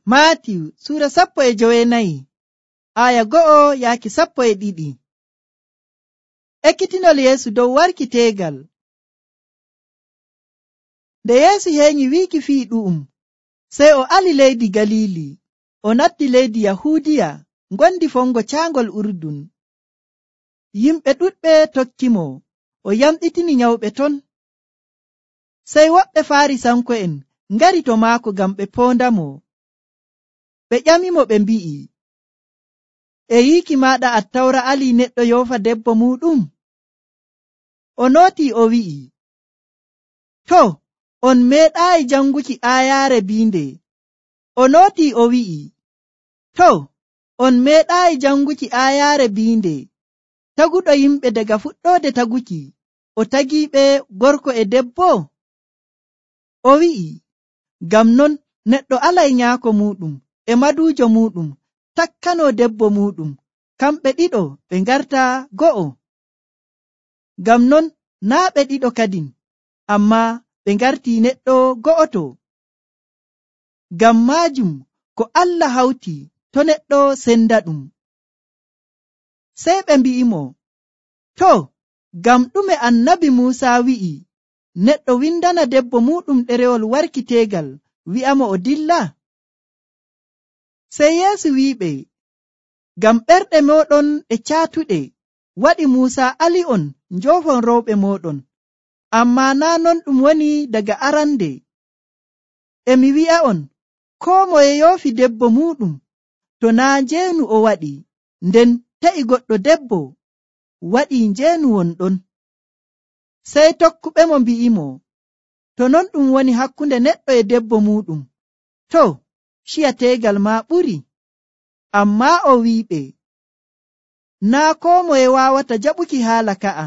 Maatiyu sura 14 aya 1 yaaki 12. Ekkitinol Yeesu dow warki teegal. Nde Yeesu heeñi wiiki fii ɗu'um, sey o ali leydi Galili, o natti leydi Yahuudiya ngondi fongo caangol Urdun. Yimɓe ɗuɗɓe tokkimo, o yamɗitini nyawɓe ton. Sey woɓɓe Faarisanko'en ngari to maako ngam ɓe poondamo. Ɓe ƴamimo ɓe mbi'i, e yiiki maaɗa Attawra alii neɗɗo yoofa debbo muuɗum? O nootii o wi'i, to, on meeɗaayi janguki aayaare biinde. O nootii o wi'i, to, on meeɗaayi janguki aayaare biinde. Taguɗo yimɓe daga fuɗɗoode taguki, o tagiiɓe gorko e debbo? O wi'i, ngam non neɗɗo alay nyaako muuɗum e maduujo muuɗum, takkanoo debbo muuɗum, kamɓe ɗiɗo ɓe ngarta go'o. Ngam non naa' ɓe ɗiɗo kadin, ammaa ɓe ngartii neɗɗo go'oto. Ngam maajum ko Allah hawti to neɗɗo sendaɗum. Sey ɓe mbi'imo, to, ngam ɗume annabi Muusaa wi'i neɗɗo windana debbo muuɗum ɗerewol warki teegal wi'amo o dilla? Sey Yeesu wi'iɓe, ngam ɓerɗe mooɗon e caatuɗe waɗi Muusaa ali'on njoofon rewɓe mooɗon, ammaa naa' non ɗum woni daga arande. E mi wi'a'on, koo moye yoofi debbo muuɗum to naa' njeenu o waɗi, nden ta'i goɗɗo debbo waɗii njeenu wonɗon. Sey tokkuɓemo mbi'imo, to non ɗum woni hakkunde neɗɗo e debbo muuɗum, to, ciya teegal maa ɓuri. Ammaa o wi'iɓe, naa' koo moye waawata jaɓuki haala ka'a,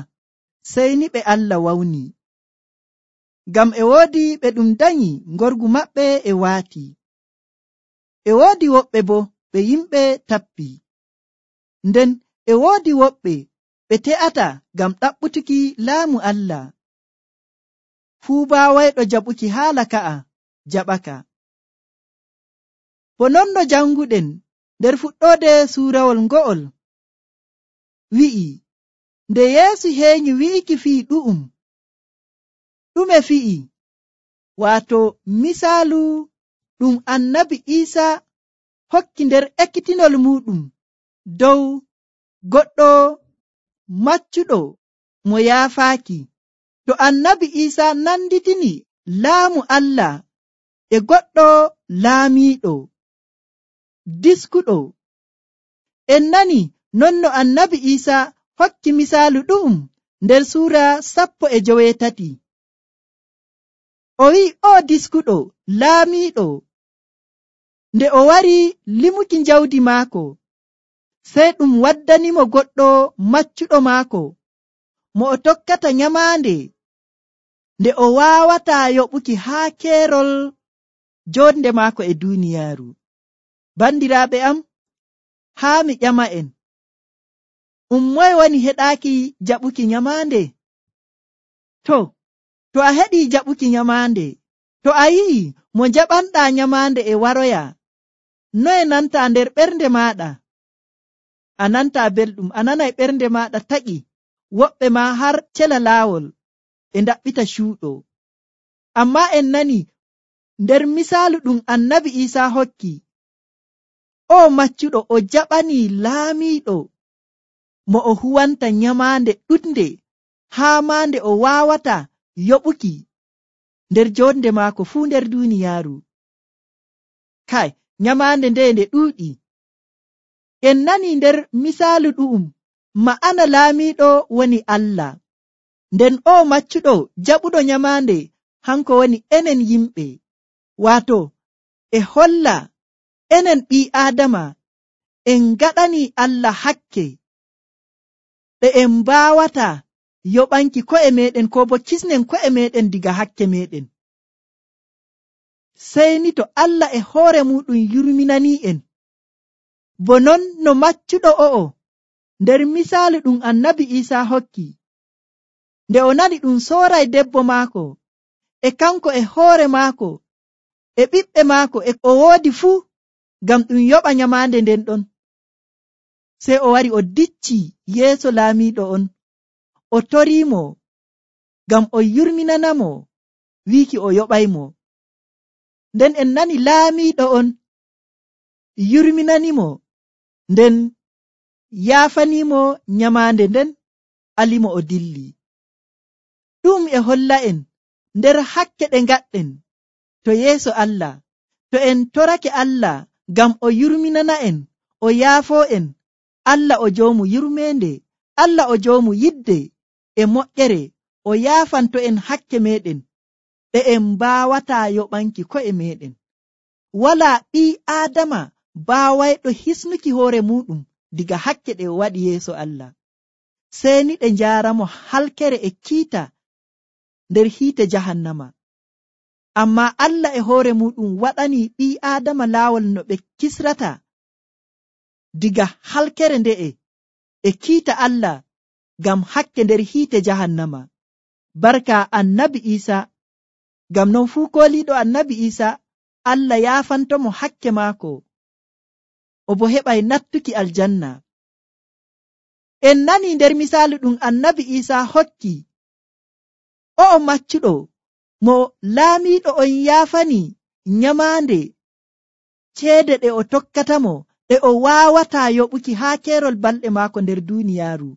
sey ni ɓe Allah wawni. Ngam e woodi ɓe ɗum danyi ngorgu maɓɓe e waati. E woodi woɓɓe bo ɓe yimɓe tappi. Nden e woodi woɓɓe ɓe te'ata ngam ɗaɓɓutuki laamu Allah. Fuu baawayɗo jaɓuki haala ka'a jaɓaka. Bo non no janguɗen nder fuɗɗoode suurawol ngo'ol wi'i, nde Yeesu heeñi wi'iki fii ɗu'um, ɗume fi'i? Waato misaalu ɗum annabi Iisaa hokki nder ekkitinol muuɗum dow goɗɗo maccuɗo mo yaafaaki. To annabi Iisaa nanditini laamu Allah e goɗɗo laamiiɗo diskuɗo. En nani non no annabi Iisaa hokki misaalu ɗu'um nder suura 13. O wi'i, o diskuɗo laamiiɗo, nde o wari limuki jawdi maako, sey ɗum waddanimo goɗɗo maccuɗo maako mo o tokkata nyamaande, nde o waawataa yoɓuki haa keerol joonde maako e duuniyaaru. Bandiraaɓe am, haa mi ƴama'en, moye woni heɗaaki jaɓuki nyamaande? To a heɗii jaɓuki nyamaande, to a yi'i mo jaɓanɗaa nyamaande e waroya, noye nantaa nder ɓernde maaɗa? A nantaa belɗum, a nanay ɓernde maaɗa taƴi, woɓɓe maa har cela laawol e ndaɓɓita cuuɗo. Ammaa en nani nder misaalu ɗum annabi Iisaa hokki, o maccuɗo o jaɓanii laamiiɗo mo o huwanta nyamaande ɗuɗnde haa maa nde o waawata yoɓuki nder joonde maako fuu nder duuniyaaru. Kai, nyamaande nde ɗuuɗi. En nani nder misaalu ɗu'um ma'ana laamiiɗo woni Allah, nden o maccuɗo jaɓuɗo nyamaande hanko woni enen yimɓe. Waato e holla enen ɓii Aadama en gaɗani Allah hakke ɗe en mbaawata yoɓanki ko'e meɗen ko bo kisnen ko'e meɗen diga hakke meɗen. Sey ni to Allah e hoore muɗum yurminanii en, bo non no maccuɗo o'o nder misaalu ɗum annabi Iisaa hokki, nde o nani ɗum sooray debbo maako e kanko e hoore maako e ɓiɓɓe maako e o woodi fuu, ngam ɗum yoɓa nyamaande nden ɗon. Sey o wari o dicci yeeso laamiiɗo on, o toriimo ngam o yurminanamo wiiki o yoɓaymo. Nden en nani laamiiɗo on yurminanimo, nden yaafanimo nyamaande nden, alimo o dilli. Ɗum e holla en nder hakke ɗe ngaɗɗen to yeeso Allah, to en torake Allah ngam o yurminana en, o yaafoo en, Allah o joomu yurmeende, Allah o joomu yidde e moƴƴere, o yaafanto en hakke meɗen ɗe en mbaawataa yoɓanki ko'e meɗen. Walaa ɓii Aadama baawayɗo hisnuki hoore muɗum diga hakke ɗe o waɗi yeeso Allah, sey ni ɗe njaaramo halkere e kiita nder hiite jahannama. Ammaa Allah e hoore muɗum waɗani ɓii Aadama laawol no ɓe kisrata diga halkere nde'e e kiita Allah ngam hakke nder hiite jahannama. Barka annabi Isa, ngam non fuu kooliiɗo annabi Isa Allah yaafantomo hakke maako, o bo heɓay nattuki aljanna. En nani nder misaalu ɗum annabi Isa hokki, o'o maccuɗo mo laamiiɗo on yaafani nyamaande ceede ɗe o tokkatamo ɗe o waawataa yoɓuki haa keerol balɗe maako nder duuniyaaru.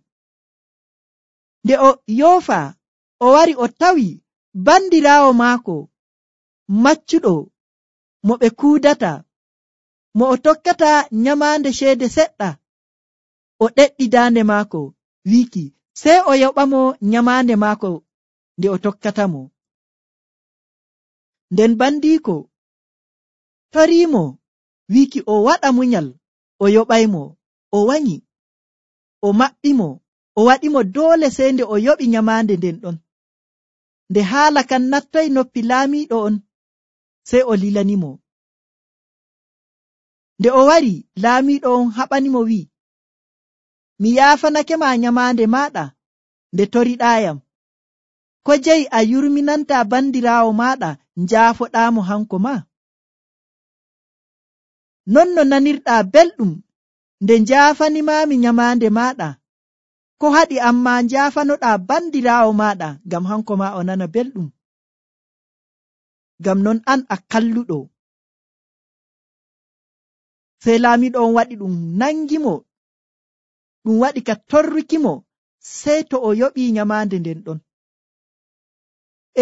Nde o yoofa, o wari o tawi bandiraawo maako maccuɗo mo ɓe kuudata, mo o tokkata nyamaande ceede seɗɗa, o ɗeɗɗi daande maako wiiki sey o yoɓamo nyamaande maako nde o tokkatamo. Nden bandiiko toriimo wiiki o waɗa munyal o yoɓaymo, o wanyi, o maɓɓimo, o waɗimo doole sey nde o yoɓi nyamaande nden ɗon. Nde haala kan nattoy noppi laamiiɗo on, sey o lilanimo. Nde o wari, laamiiɗo on haɓanimo wi'i, mi yaafanake ma nyamaande maaɗa nde toriɗaayam. Ko jeyi a yurminanta bandiraawo maaɗa njaafoɗaamo hanko ma? Non no nanirɗaa belɗum nde njaafanimaami nyamaande maaɗa, ko haɗi amma njaafanoɗaa bandiraawo maaɗa ngam hanko ma o nana belɗum? Ngam non an a kalluɗo. Sey laamiiɗo on waɗi ɗum nangimo, ɗum waɗi ka torrukimo sey to o yoɓii nyamaande nden ɗon.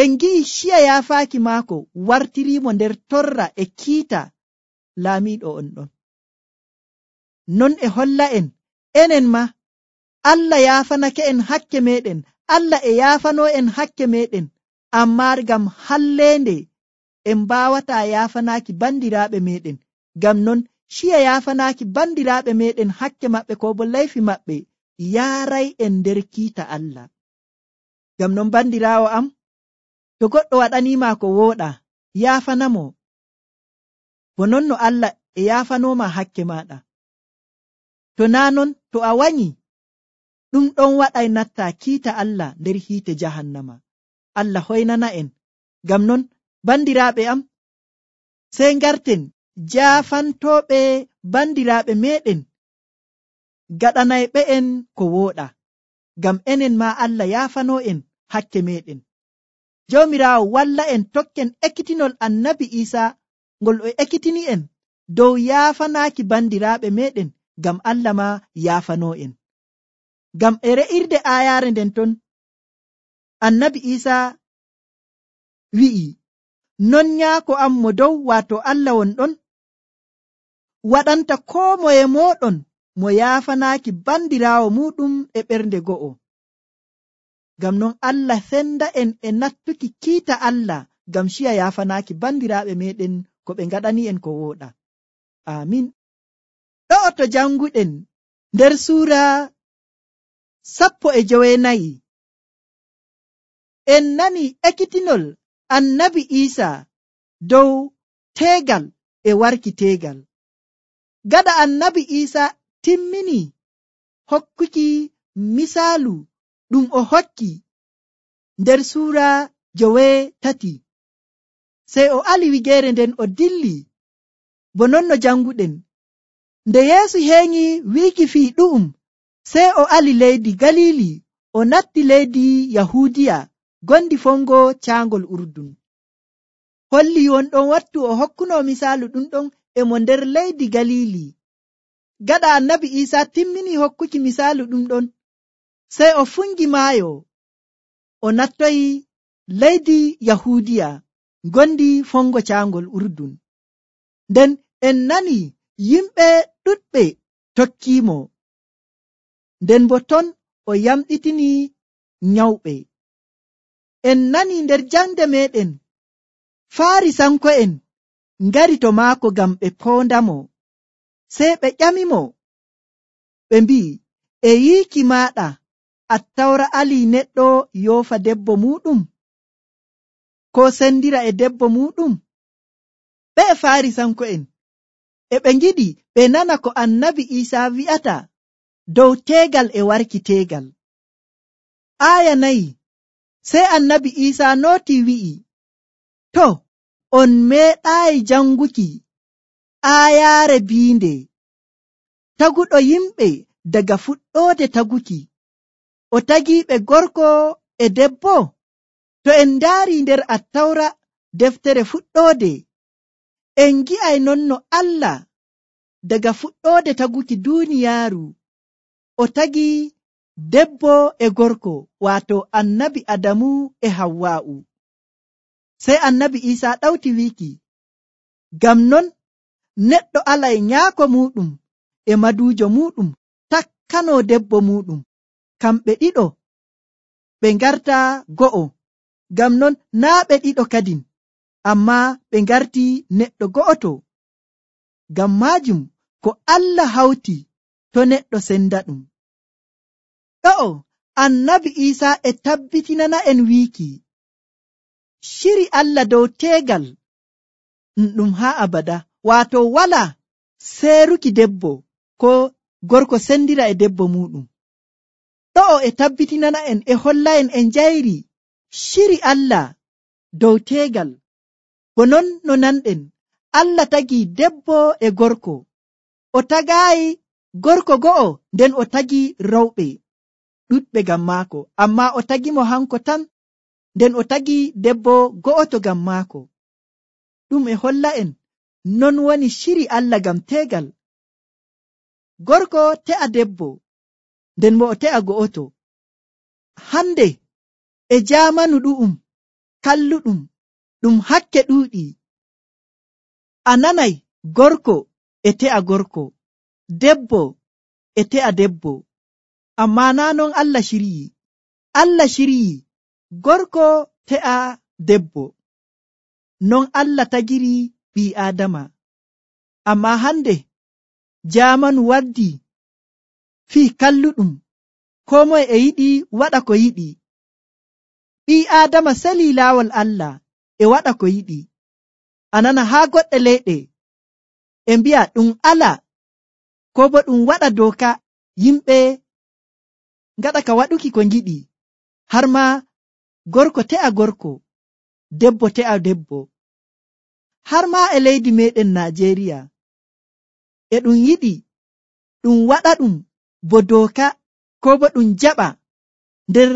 En gi'i ciya yaafaaki maako wartiriimo nder torra e kiita laamiiɗo on ɗon. Non e holla en, enen ma Allah yaafanake en hakke meɗen, Allah e yaafanoo en hakke meɗen, ammaa ngam halleende en mbaawataa yaafanaaki bandiraaɓe meɗen. Ngam non ciya yaafanaaki bandiraaɓe meɗen hakke maɓɓe ko bo leyfi maɓɓe yaaray en nder kiita Allah. Ngam non bandiraawo am, to goɗɗo waɗaniima ko wooɗa, yaafanamo, bo non no Allah e yaafanooma hakke maaɗa. To naa non, to a wanyi, ɗum ɗon waɗay natta kiita Allah nder hiite jahannama. Allah hoynana en. Ngam non bandiraaɓe am, sey ngarten jaafantooɓe bandiraaɓe meɗen, gaɗanayɓe en ko wooɗa, ngam enen ma Allah yaafanoo en hakke meɗen. Joomiraawo walla en tokken ekkitinol annabi Isa ngol o ekkitini en dow yaafanaaki bandiraaɓe meɗen, ngam Allah ma yaafanoo en. Ngam e re'irde aayaare nden ton, annabi Isa wi'i, non nyaako am mo dow, waato Allah wonɗon, waɗanta koo moye mooɗon mo yaafanaaki bandiraawo muɗum e ɓernde go'o. Ngam non Allah senda en e nattuki kiita Allah ngam ciya yaafanaaki bandiraaɓe meɗen ko ɓe ngaɗani en ko wooɗa. Amin. Ɗo'o to janguɗen nder suura 14, en nani ekkitinol annabi Isa dow teegal e warki teegal. Gaɗa annabi Isa timmini hokkuki misaalu ɗum o hokki nder suura 13, sey o ali wigeere nden o dilli bo non no janguɗen. Nde Yeesu heeŋi wiiki fii ɗu'um, sey o ali leydi Galili, o natti leydi Yahuudiya gondi fongo caangol Urdun. Holli wonɗon wattu o hokkuno misaalu ɗum ɗon e mo nder leydi Galili. Gaɗa Annabi Iisaa timmini hokkuki misaalu ɗum ɗon, sey o fungi maayo, o nattoyi leydi Yahuudiya gondi fongo caangol Urdun. Nden en nani yimɓe ɗuɗɓe tokkiimo, nden bo ton o yamɗitini nyawɓe. En nani nder jangde meɗen Faarisanko'en ngari to maako ngam ɓe poondamo, sey ɓe ƴamimo, ɓe mbi'i, e yiiki maaɗa Attawra alii neɗɗo yoofa debbo muɗum, ko sendira e debbo muɗum? Ɓe Faarisanko'en e ɓe ngiɗi ɓe nana ko Annabi Iisaa wi'ata dow teegal e warki teegal. Aaya 4, sey Annabi Iisaa nooti wi'i, to, on meeɗaayi janguki aayaare biinde, taguɗo yimɓe daga fuɗɗoode taguki, o tagiiɓe gorko e debbo? To en ndaari nder Attawra deftere fuɗɗoode, en ngi'ay non no Allah daga fuɗɗoode taguki duuniyaaru o tagi debbo e gorko, waato Annabi Adamu e Hawwa'u. Sey Annabi Iisaa ɗawti wiiki, ngam non neɗɗo alay nyaako muɗum e maduujo muɗum, takkano debbo muɗum, kamɓe ɗiɗo ɓe ngarta go'o. Ngam non naa ɓe ɗiɗo kadin, amma ɓe ngarti neɗɗo go'oto. Ngam maajum ko Allah hawti to neɗɗo senda ɗum. Ɗo'o Annabi Iisaa e tabbitinana en wiiki, shiri Allah dow teegal ɗum haa abada, waato wala seeruki debbo ko gorko sendira e debbo muɗum. Ɗo'o e tabbitinana en e holla en e njayri shiri Allah dow teegal, bo non no nanɗen Allah tagi debbo e gorko, o tagaayi gorko go'o, nden o tagi rewɓe ɗuɗɓe ngam maako, amma o tagimo hanko tan, nden o tagi debbo go'oto ngam maako. Ɗum e holla en non woni shiri Allah ngam teegal. Gorko te'a debbo, nden bo o te'a go'oto. Hande e jaamanu ɗu'um kalluɗum ɗum hakke ɗuuɗi, a nanay gorko e te'a gorko, debbo e te'a debbo, amma naa non Allah shiryi. Allah shiryi gorko te'a debbo, non Allah tagiri ɓii Aadama. Amma hande jaamanu waddi fii kalluɗum, koo moye e yiɗi waɗa ko yiɗi. Ɓii Aadama salii laawol Allah e waɗa ko yiɗi. A nana haa goɗɗe leyɗe e mbi'a ɗum ala, ko bo ɗum waɗa dooka, yimɓe ngaɗa ka waɗuki ko ngiɗi, har ma gorko te'a gorko, debbo te'a debbo. Har ma e leydi meɗen Najeriya e ɗum yiɗi ɗum waɗa ɗum bo dooka, ko bo ɗum jaɓa nder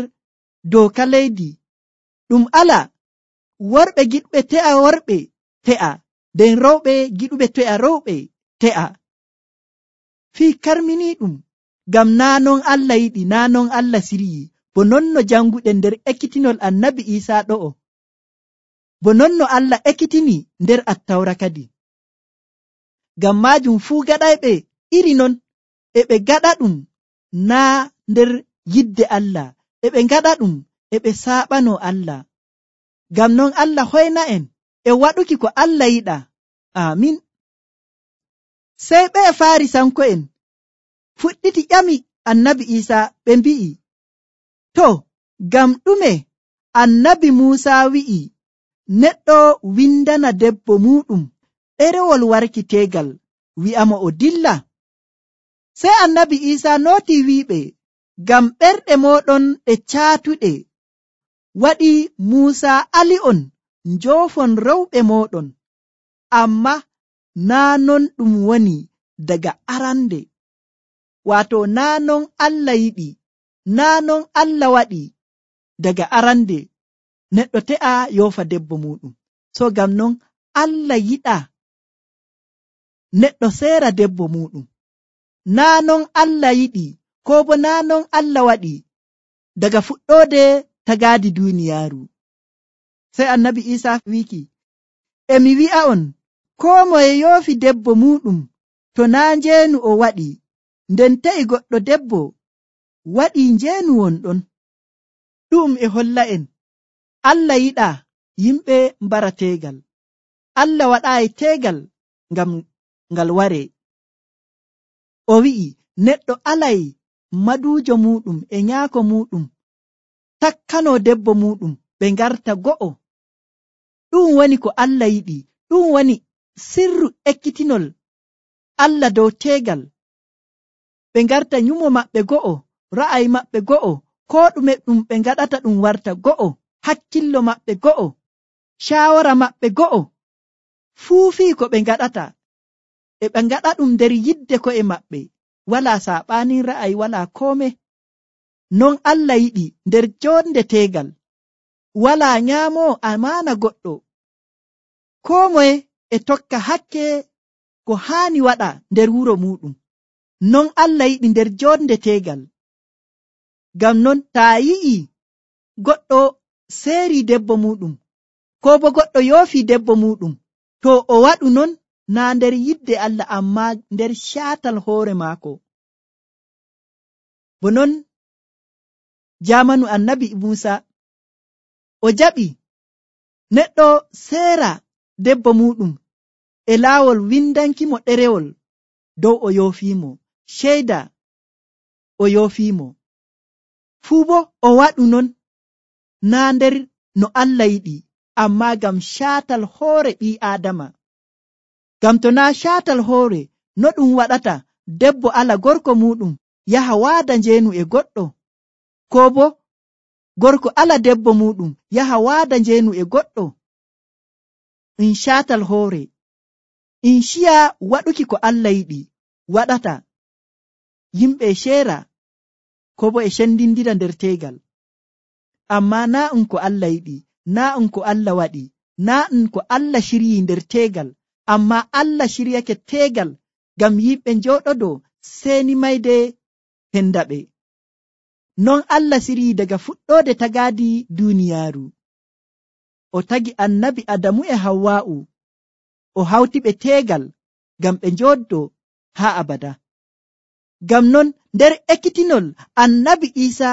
dooka leydi. Ɗum ala, worɓe giɗuɓe te'a worɓe te'a, nden rewɓe giɗuɓe te'a rewɓe te'a. Fii karmini ɗum, ngam naa non Allah yiɗi, naa non Allah siryi, bo non no janguɗen nder ekkitinol Annabi Iisaa ɗo'o, bo non no Allah ekkitini nder Attawra kadi. Ngam maajum fuu gaɗayɓe iri non e ɓe gaɗa ɗum naa nder yidde Allah, e ɓe gaɗa ɗum e ɓe saaɓano Allah. Ngam non Allah hoyna en e waɗuki ko Allah yiɗa. Amin. Sey ɓe Faarisanko'en fuɗɗiti ƴami Annabi Iisaa, ɓe mbi'i, to, ngam ɗume Annabi Muusaa wi'i neɗɗo windana debbo muɗum ɗerewol warki teegal, wi'amo o dilla? Sey Annabi Iisaa nooti wi'iɓe, ngam ɓerɗe moɗon ɗe caatuɗe waɗi Muusaa ali'on njoofon rewɓe moɗon, amma naa non ɗum woni daga arande, waato naa non Allah yiɗi, naa non Allah waɗi daga arande neɗɗo te'a yoofa debbo muɗum. So ngam non Allah yiɗa neɗɗo seera debbo muɗum. Naa non Allah yiɗi, ko bo naa non Allah waɗi daga fuɗɗoode tagaadi duuniyaaru. Sey annabi Iisa wiiki, mi wi'a'on, koo moye yoofi debbo muɗum to naa njeenu o waɗi, nden ta'i goɗɗo debbo waɗii njeenu wonɗon. Ɗum e holla'en Allah yiɗaa yimɓe mbara teegal. Allah waɗaayi teegal ngam ngal waree. O wi'i neɗɗo alay maduujo muɗum e nyaako muɗum, takkanoo debbo muɗum, ɓe ngarta go'o. Ɗum woni ko Allah yiɗi. Ɗum woni sirru ekkitinol Allah dow teegal. Ɓe ngarta nyumo maɓɓe go'o, ra'ayi maɓɓe go'o, koo ɗume ɗum ɓe ngaɗata ɗum warta go'o, hakkillo maɓɓe go'o, shaawara maɓɓe go'o, fuu fii ko ɓe ngaɗata e ɓe ngaɗa ɗum nder yidde ko'e maɓɓe, walaa saaɓaanin ra'ayi, walaa koome. Non Allah yiɗi nder jonde teegal, walaa nyaamoo amaana goɗɗo, koo moye e tokka hakke ko haani waɗa nder wuro muɗum. Non Allah yiɗi nder jonde teegal. Ngam non taa yi'i goɗɗo seeri debbo muɗum, ko bo goɗɗo yoofi debbo muɗum, to o waɗu non naa nder yidde Allah, amma nder caatal hoore maako. Bo non jamanu annabi Muusa o jaɓi neɗɗo seera debbo muɗum e laawol windankimo ɗerewol dow o yoofiimo, ceyda o yoofiimo. Fuu bo o waɗu non naa nder no Allah yiɗi, amma ngam caatal hoore ɓii Aadama. Ngam to naa caatal hoore, no ɗum waɗata debbo ala gorko muɗum yaha waada njeenu e goɗɗo, ko bo gorko ala debbo muɗum yaha waada njeenu e goɗɗo? In caatal hoore, in ciya waɗuki ko Allah yiɗi waɗata yimɓe ceera, ko bo e cendindira nder teegal. Amma naa ɗum ko Allah yiɗi, naa ɗum ko Allah waɗi, naa ɗum ko Allah ciryii nder teegal, amma Allah ciryake teegal ngam yimɓe njooɗodo seeni mayde hendaɓe. Non Allah ciryii daga fuɗɗoode tagaadi duuniyaaru. O tagi annabi Adamu e Hawwa'u, o hawti ɓe teegal ngam ɓe njooddo haa abada. Ngam non nder ekkitinol annabi Iisa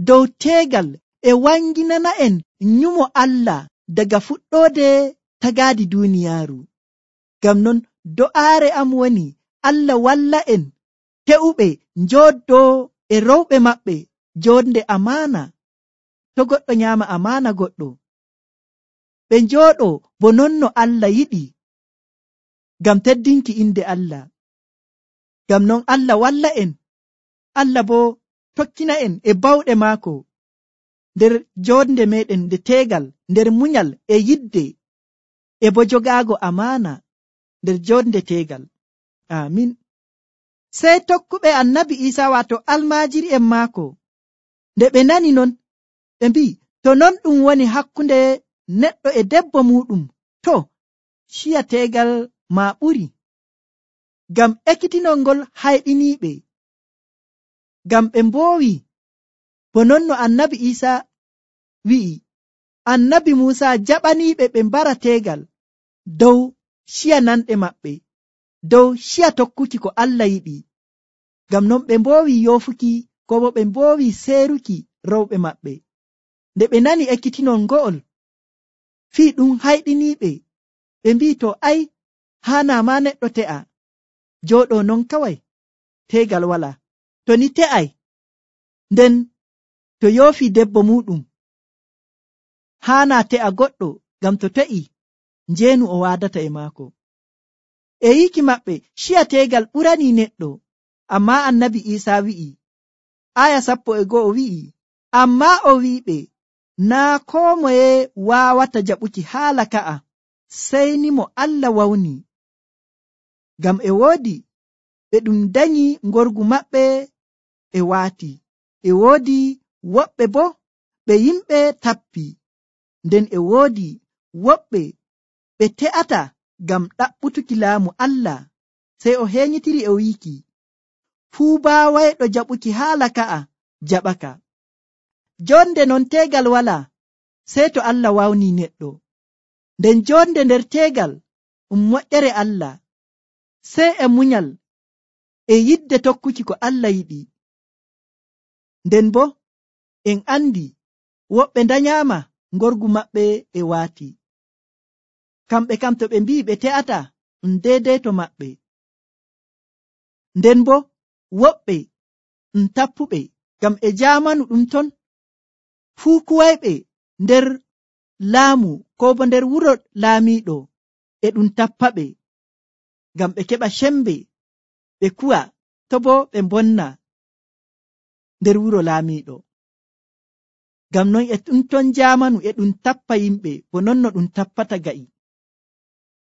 dow teegal e wanginana en nyumo Allah daga fuɗɗoode tagaadi duuniyaaru. Ngam non do'aare am woni Allah walla en te'uɓe njooddoo e rewɓe maɓɓe jonde amaana. To goɗɗo nyaama amaana goɗɗo, ɓe njooɗoo bo non no Allah yiɗi, ngam teddinki inde Allah. Ngam non Allah walla en, Allah bo tokkina en e bawɗe maako nder jonde meɗen nde teegal, nder munyal e yidde, e bo jogaago amaana nder jonde teegal. Amin. Sey tokkuɓe annabi Iisa, waato almaajiri'en maako, nde ɓe nani non, ɓe mbi'i, to non ɗum woni hakkunde neɗɗo e debbo muɗum, to ciya teegal ma ɓuri. Ngam ekkitinol ngol hayɗiniiɓe, ngam ɓe mboowi, bo non no annabi Iisa wi'i, annabi Muusa jaɓaniiɓe ɓe mbara teegal dow ciya nanɗe maɓɓe, dow ciya tokkuki ko Allah yiɗi. Ngam non ɓe mboowi yoofuki, ko bo ɓe mboowi seeruki rewɓe maɓɓe. Nde ɓe nani ekkitinol ngo'ol, fii ɗum hayɗiniiɓe, ɓe mbi'i, to ai haana ma neɗɗo te'a jooɗo non kawai, teegal wala. To ni te'ai, nden to yoofi debbo muɗum, haana te'a goɗɗo, ngam to te'i njeenu o waadata e maako. E yiki maɓɓe ciya teegal ɓurani neɗɗo, amma annabi Iisa wi'i, aya 11 wi'i, amma o wi'iɓe, naa koo moye waawata jaɓuki haala ka'a, sey ni mo Allah wawni. ngam e woodi ɓe ɗum danyi ngorgu maɓɓe e waati, e woodi woɓɓe bo ɓe yimɓe tappi, nden e woodi woɓɓe ɓe te'ata ngam ɗaɓɓutuki laamu Allah. Sey o henyitiri e wiiki, fuu baawayɗo jaɓuki haala ka'a jaɓaka. Jonde non teegal walaa, sey to Allah wawni neɗɗo. Nden jonde nder teegal moƴƴere Allah, sey e munyal e yidde tokkuki ko Allah yiɗi. Nden bo en andi woɓɓe danyama ngorgu maɓɓe e waati, kamɓe kam to ɓe mbi'i ɓe te'ata ɗum deydey to maɓɓe. Nden bo woɓɓe tappuɓe, ngam e jamanu ɗum ton fuu kuwayɓe nder laamu ko bo nder wuro laamiiɗo e ɗum tappaɓe, ngam ɓe keɓa sembe ɓe kuwa, to bo ɓe bonna nder wuro laamiiɗo. Ngam non e ɗum ton jamanu e ɗum tappa yimɓe bo non no ɗum tappata ga'i.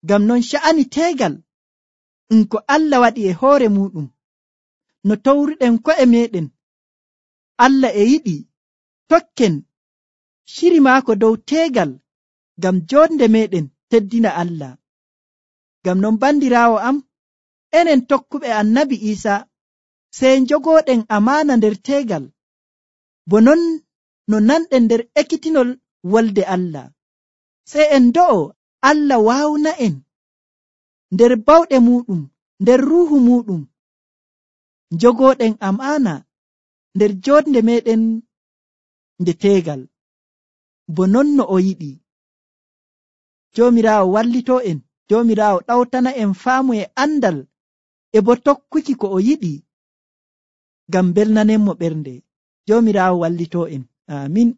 Ngam non sha'ani teegal ko Allah waɗi e hoore muɗum, no towruɗen ko'e meɗen, Allah e yiɗi tokken shiri maako dow teegal ngam jonde meɗen teddina Allah. Ngam non bandiraawo am, enen tokkuɓe annabi Iisa sey jogoɗen amaana nder teegal, bo non no nanɗen nder ekkitinol wolde Allah. Sey en do'o Allah waawna en nder bawɗe muɗum, nder ruuhu muɗum, jogoɗen amaana nder jonde meɗen nde teegal, bo non no o yiɗi. Joomiraawo wallito en, Joomiraawo ɗawtana en faamu e andal e bo tokkuki ko o yiɗi, ngam belnanenmo ɓernde. Joomiraawo wallito en. Amin.